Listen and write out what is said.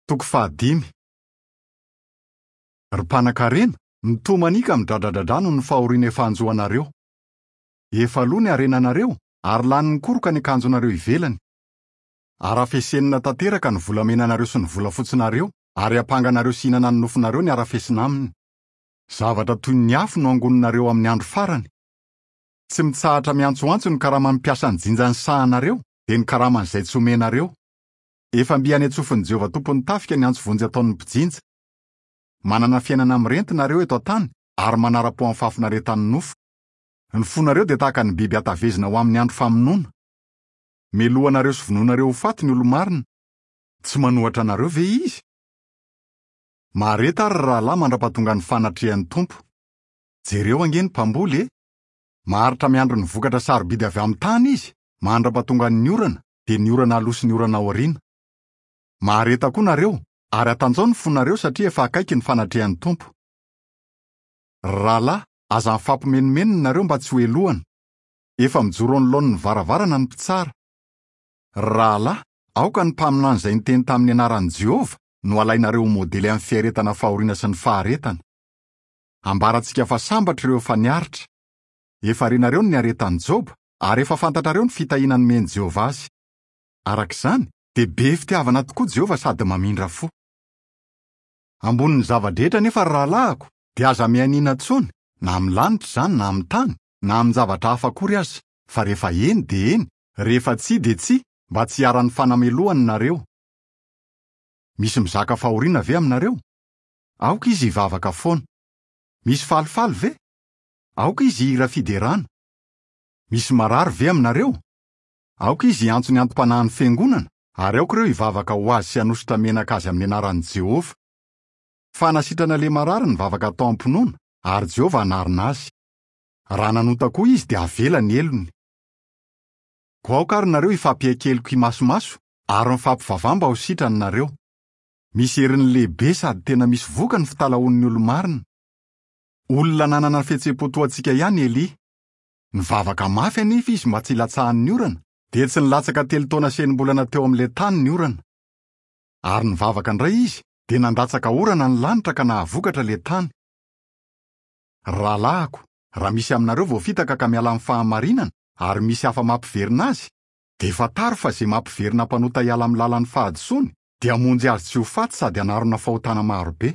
Toko fahadimy. Ry mpanankarena, mitomania ka midradradradrà noho ny fahoriana efa hanjo anareo. Efa lo ny harenanareo, ary lanin'ny koroka ny akanjonareo ivelany. Harafesenina tanteraka ny volamenanareo sy ny volafotsinareo, ary hampanganareo sy hihinana ny nofonareo ny harafesina aminy. Zavatra toy ny afo no hangoninareo amin'ny andro farany. Tsy mitsahatra miantsoantso ny karaman'ny mpiasa nijinja ny sahanareo, dia ny karaman'izay tsy omenareo. Efa mby any an-tsofin'i Jehovah Tompon'ny tafika ny antso vonjy ataon'ny mpijinja. Manana fiainana mirenty nareo eto an-tany ary manara-po amin'ny fahafinaretan'ny nofo. Ny fonareo dia tahaka ny biby hatavezina ho amin'ny andro famonoana. Melohanareo sy vonoinareo ho faty ny olo-marina. Tsy manohatra anareo ve izy? Mahareta ary ry rahalahy mandra-pahatongan'ny fanatrehan'ny Tompo. Jereo ange ny mpamboly e! Maharitra miandry ny vokatra sarobidy avy amin'ny tany izy, mandra-pahatongan'ny orana, dia ny orana aloha sy ny orana aoriana. Mahareta koa nareo, ary atanjao ny fonareo satria efa akaiky ny fanatrehan'ny Tompo. Ry rahalahy, aza mifampimenomenona nareo mba tsy ho helohana. Efa mijoro anoloan'ny varavarana ny mpitsara. Ry rahalahy, aoka ny mpaminany izay niteny tamin'ny anaran'i Jehovah no halainareo ho modely amin'ny fiaretana fahoriana sy ny faharetana. Ambarantsika fa sambatra ireo efa niaritra. Efa renareo ny niaretan'i Joba, ary efa fantatrareo ny fitahiana nomen'i Jehovah azy. Araka izany, dia be fitiavana tokoa Jehovah sady mamindra fo. Ambonin'ny zava-drehetra anefa, ry rahalahiko, dia aza mianiana intsony, na amin'ny lanitra izany na amin'ny tany, na amin-javatra hafa akory aza, fa rehefa eny dia eny, rehefa tsia dia tsia, mba tsy hiharan'ny fanamelohana nareo. Misy mizaka fahoriana ve aminareo? Aoka izy hivavaka foana. Misy falifaly ve? Aoka izy hihira fiderana. Misy marary ve aminareo? Aoka izy hiantso ny antom-panahin'ny fiangonana, ary aoka ireo hivavaka ho azy sy hanosotra menaka azy amin'ny anaran'i Jehovah. Fanasitrana ilay marary ny vavaka atao am-pinoana, ary Jehovah hanarina azy. Raha nanota koa izy dia havela ny helony. Koa aoka ary nareo hifampiaikeloko imasomaso ary mifampivavaha mba ho sitrany nareo. Misy heriny lehibe sady tena misy vokany ny fitalahoan'ny olo-marina. Olona nanana fihetseham-po toa antsika ihany Elia. Nivavaka mafy anefa izy mba tsy hilatsahan'ny orana, dia tsy nilatsaka telo taona sy enim-bolana teo amin'ilay tany ny orana. Ary nivavaka indray izy, dia nandatsaka orana ny lanitra ka nahavokatra ilay tany. Ry rahalahiko, raha misy aminareo voafitaka ka miala amin'ny fahamarinana, ary misy hafa mampiverina azy, dia fantaro fa izay mampiverina mpanota hiala amin'ny lalan'ny fahadisoany dia hamonjy azy tsy ho faty sady hanarona fahotana maro be.